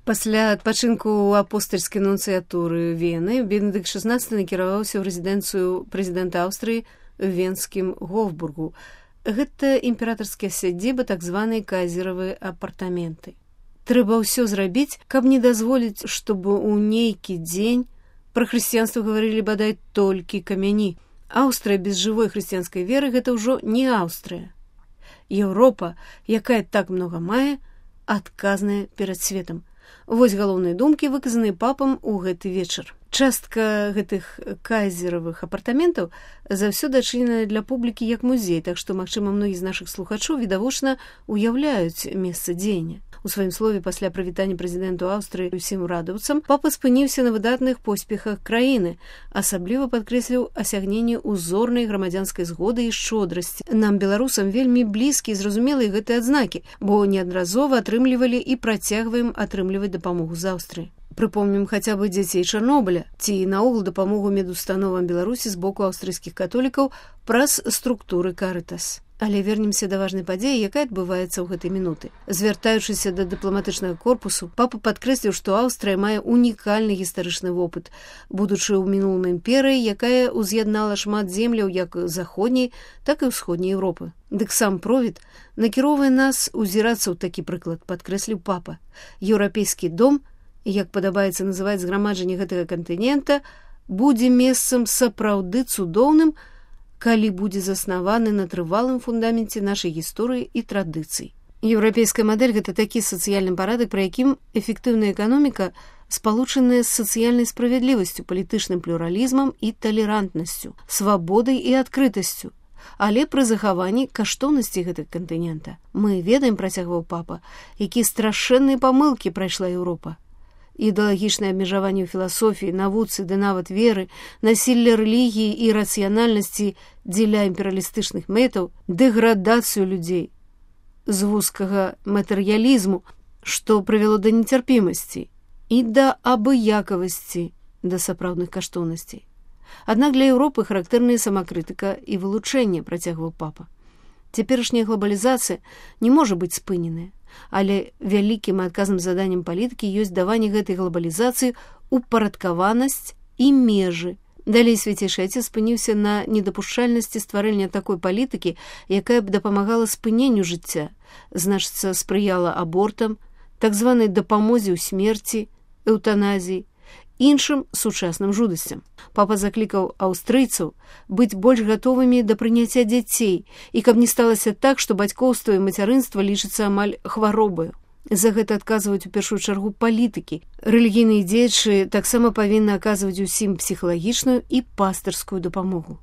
Пасля адпачынку ў апостальскай нунцыятуры Вены Бенедыкт XVI накіраваўся ў рэзідэнцыю прэзідэнта Аўстрыі в Венскім Гофбургу. Гэта імператарская сядзіба, так званыя кайзеравыя апартаменты. Трэба ўсё зрабіць, каб не дазволіць, чтобы ў нейкі дзень пра хрысціянства гаварылі бадай толькі камяні. Аўстрыя без жывой хрысціянскай веры – гэта ўжо не Аўстрыя. Еўропа, якая так многа мае, адказная перад светам. Вось галоўныя думкі, выказаныя папам у гэты вечар. Частка гэтых кайзеравых апартаментаў заўсёды адчыненая для публікі як музей, так што, магчыма, многія з нашых слухачоў відавочна уяўляюць месца дзеяння. У сваім слове пасля прывітання прэзідэнту Аўстрыі усім урадаўцам папа спыніўся на выдатных поспехах краіны, асабліва падкрэсліў асягненне узорнай грамадзянскай згоды і шчодрасці. Нам, беларусам, вельмі блізкія і зразумелыя гэтыя адзнакі, бо неаднаразова атрымлівалі і працягваем атрымліваць дапамогу з Аўстрыі. Прыпомнім хаця бы дзяцей Чарнобыля ці наогул дапамогу медустановам Беларусі з боку аўстрыйскіх католікаў праз структуры Карытас. Але вернемся да важнай падзеі, якая адбываецца ў гэтай мінуты. Звяртаючыся да дыпламатычнага корпусу, папа падкрэсліў, што Аўстрыя мае унікальны гістарычны вопыт, будучы ў мінулым імперыяй, якая ўз'яднала шмат земляў як заходняй, так і ўсходняй Еўропы. Дык сам провід накіроўвае нас узірацца ў такі прыклад, падкрэсліў папа. Еўрапейскі дом, як падабаецца называць зграмаджанне гэтага кантынента, будзе месцам сапраўды цудоўным, калі будзе заснаваны на трывалым фундаменце нашай гісторыі і традыцый. Еўрапейская мадэль – гэта такі сацыяльны парадак, пры якім эфектыўная эканоміка спалучаная з сацыяльнай справядлівасцю, палітычным плюралізмам і талерантнасцю, свабодай і адкрытасцю, але пры захаванні каштоўнасці гэтага кантынента. Мы ведаем, працягваў папа, якія страшэнныя памылкі прайшла Еўропа. Ідэалагічнае абмежаванне ў філасофіі, навуцы ды нават веры, насілле рэлігіі і рацыянальнасці дзеля імперыялістычных мэтаў, дэградацыю людзей з вузкага матэрыялізму, што прывяло да нецярпімасці і да абыякавасці да сапраўдных каштоўнасцей. Аднак для Еўропы характэрная самакрытыка і вылучэнне, працягваў папа. Цяперашняя глобалізацыя не можа быць спыненая, але вялікім і адказным заданнем палітыкі ёсць даванне гэтай глобалізацыі упарадкаванасць і межы. Далей свяцейшы Отец спыніўся на недапушчальнасці стварэння такой палітыкі, якая б дапамагала спыненню жыцця, значыцца, спрыяла абортам, так званай дапамозе ў смерці, эўтаназіі, іншым сучасным жудасцям. Папа заклікаў аўстрыйцаў быць больш гатовымі да прыняцця дзяцей і каб не сталася так, што бацькоўства і мацярынства лічыцца амаль хваробаю. За гэта адказваюць у першую чаргу палітыкі. Рэлігійныя дзеячы таксама павінны аказваць усім псіхалагічную і пастырскую дапамогу.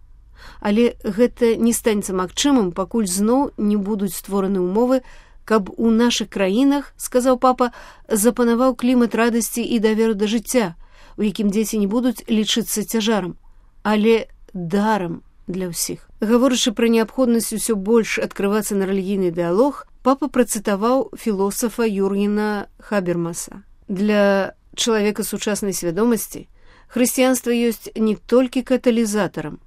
Але гэта не станецца магчымым, пакуль зноў не будуць створаны ўмовы, каб у нашых краінах, сказаў папа, запанаваў клімат радасці і даверу да жыцця, у якім дзеці не будуць лічыцца цяжарам, але дарам для ўсіх. Гаворачы пра неабходнасць усё больш адкрывацца на рэлігійны дыялог, папа працытаваў філосафа Юргена Хабермаса. Для чалавека сучаснай свядомасці хрысціянства ёсць не толькі каталізатарам.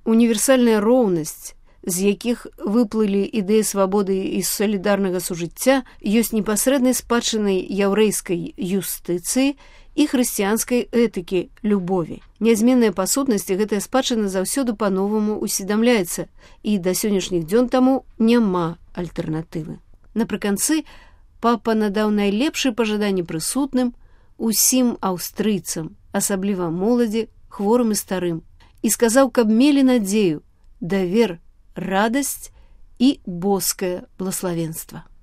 Універсальная роўнасць, з якіх выплылі ідэі свабоды і салідарнага сужыцця, ёсць непасрэднай спадчынай яўрэйскай юстыцыі і хрысціянскай этыкі любові. Нязменная па сутнасці гэтая спадчына заўсёды па-новаму усведамляецца, і да сённяшніх дзён таму няма альтэрнатывы. Напрыканцы папа надаў найлепшыя пажаданні прысутным, усім аўстрыйцам, асабліва моладзі, хворым і старым, і сказаў, каб мелі надзею, давер, радасць і боскае блаславенства.